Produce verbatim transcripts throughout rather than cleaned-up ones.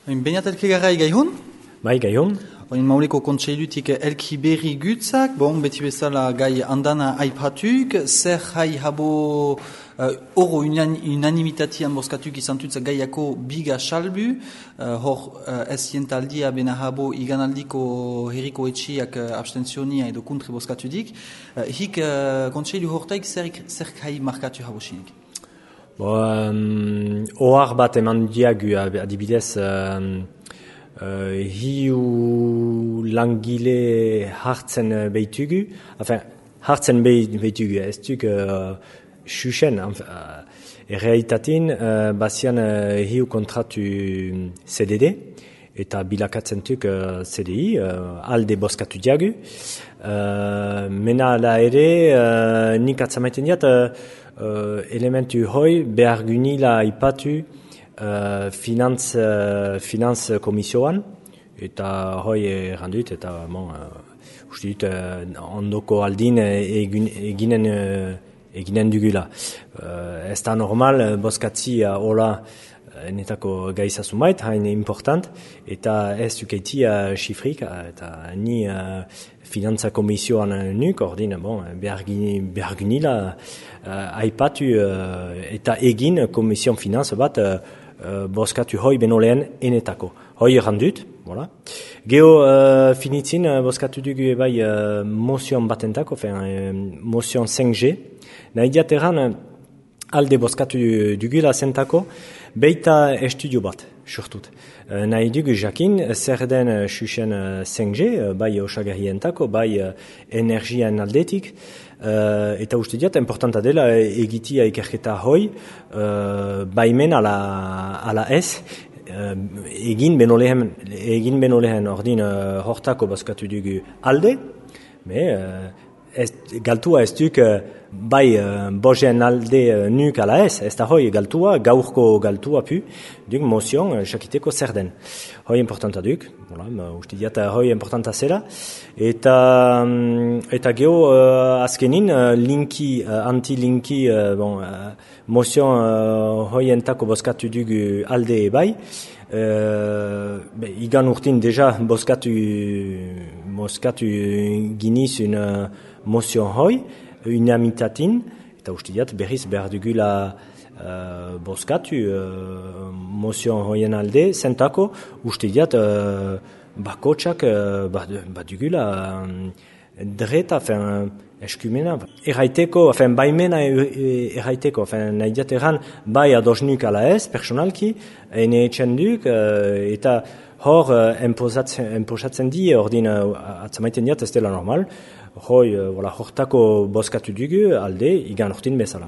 Beñat elkegarrai gaihun? Bai, gaihun. Oin Mauleko kontseilutik elki berri gutzak, bon, beti bezala gai andana aipatuk, zer jai habo uh, oro unan, unanimitatian boskatuk izan tutza gaiako biga salbu, uh, hor uh, ez jentaldia bena habo iganaldiko herriko etxiak uh, abstenzionia edo kontre boskatudik, uh, hik uh, kontseilu hortaik zer, zer jai markatu habo sinik? Bo, um, ohar bat eman diagu adibidez, um, Uh, hiu langile hartzen behitugu, enfin, hartzen behitugu, ez duk uh, xuxen, uh, errealitatin, uh, bazian uh, hiu kontratu C D D, eta bilakatzen duk uh, C D I, uh, alde boskatu diagu. Uh, mena la ere, uh, nik atzamaiten diat, uh, uh, elementu hoi behar gunila ipatu, Uh, finantz, uh, finantz komisioan, eta hoi errandut, eta bon, uh, uste dut, uh, ondoko aldin egin, eginen, uh, eginen dugula. Uh, ez da normal, boskatzi uh, hola uh, netako gaizasun bait, hain important, eta ez dukeiti uh, xifrik, uh, eta ni uh, finantza komisioan nuk, ordin, bon, behar gunila uh, aipatu uh, eta egin komision finantz bat uh, Uh, boskatu hoi beno lehen enetako. Hoi errandut, voilà. Geo uh, finitzin uh, boskatu dugu bai uh, mozion batentako, fin, uh, mozion cinq G. Nahi diateran uh, alde boskatu dugula zentako, beita estudio bat, surtut. Uh, nahi dugu jakin, zer den uh, xuxen uh, cinq G, uh, bai osagarrientako, bai uh, energian aldetik, Uh, eta uste diat, importanta dela egitia ikerketa hoi, uh, baimen ala, ala ez, uh, egin beno lehen, egin beno lehen ordin uh, hortako baskatu dugu alde, me, uh, ez, galtua ez duk, uh, bai uh, bojen alde uh, nuk ala ez, ez da hoi galtua, gaurko galtua pu, duk mozion uh, jakiteko zer den. Hoi importanta duk, voilà, uste diat hoi importanta zela, eta, um, eta geho uh, azkenin uh, linki, uh, anti-linki, uh, bon, uh, mozion uh, hoi entako boskatu dugu alde bai, uh, be, igan urtin deja boskatu, boskatu giniz un uh, mozion hoi, unamitatin, eta uste diat berriz behar dugula uh, boskatu uh, mozion hoien alde, zentako uste diat uh, bakotxak uh, bat dugula um, dreta, fin, eskumena, erraiteko, fin, baimena erraiteko, fin, nahi diat erran, bai adosnuk ala ez, personalki, ene etxenduk, uh, eta hor uh, enposatzen di, ordin uh, atzamaiten diat ez dela normal, hoi, uh, voilà, hortako boskatu dugu alde, igan urtin bezala.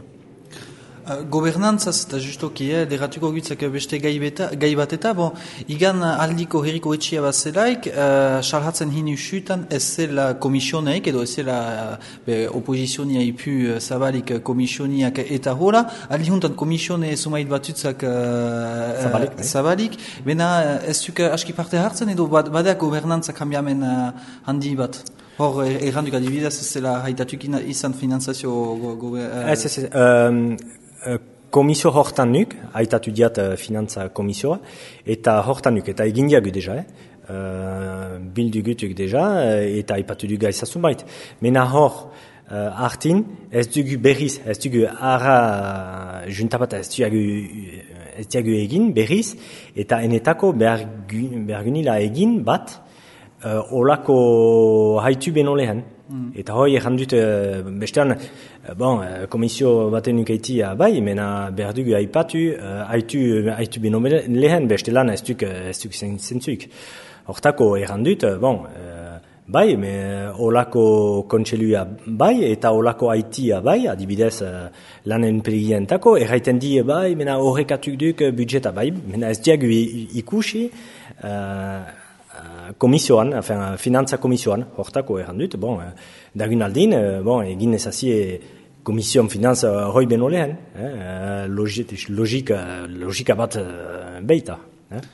Uh, gobernantzaz eta justoki, eh, derratuko gutzak beste gai, beta, gai bat eta, bon, igan aldiko herriko etxia bat zelaik, uh, salhatzen hini usutan ez zela komisioneik, edo ez zela uh, opozizionia ipu uh, zabalik komisioniak eta hola, aldi juntan komisione sumait batutzak uh, zabalik, uh, zabalik, bena uh, ez duk aski parte hartzen, edo badeak gobernantza kambiamen uh, handi bat? Hor, erranduk adibidez, ez zela haitatuk izan finanzazio... Go, go, uh, ez, ez, ez, um, komisio hortan nuk, haitatu diat uh, finantza komisioa, eta hortan nuk, eta egin diagu deja, eh? uh, bildugutuk deja, uh, eta haipatu dugu aizazun bait. Mena hor, uh, hartin, ez dugu berriz, ez dugu ara uh, juntapat ez dugu, ez dugu egin berriz, eta enetako behar gunila egin bat, Uh, olako haitu beno lehen. Mm. Eta hoi errandut, uh, bestean, uh, bon, uh, komisio baten ukaitia bai, mena behar dugu haipatu, uh, haitu, haitu beno lehen, bestelan ez duk, ez duk zentzuik. Hortako errandut, uh, bon, uh, bai, me olako kontselua bai, eta olako haitia bai, adibidez uh, lanen peligientako, erraiten di bai, mena horrekatuk duk budjeta bai, mena ez diagu ikusi, uh, komisioan, enfin, finantza komisioan, hortako errandut, bon, dagun aldin, bon, egin ezazie komision finantza hoi beno lehen, eh, logika, logika bat beita. Eh.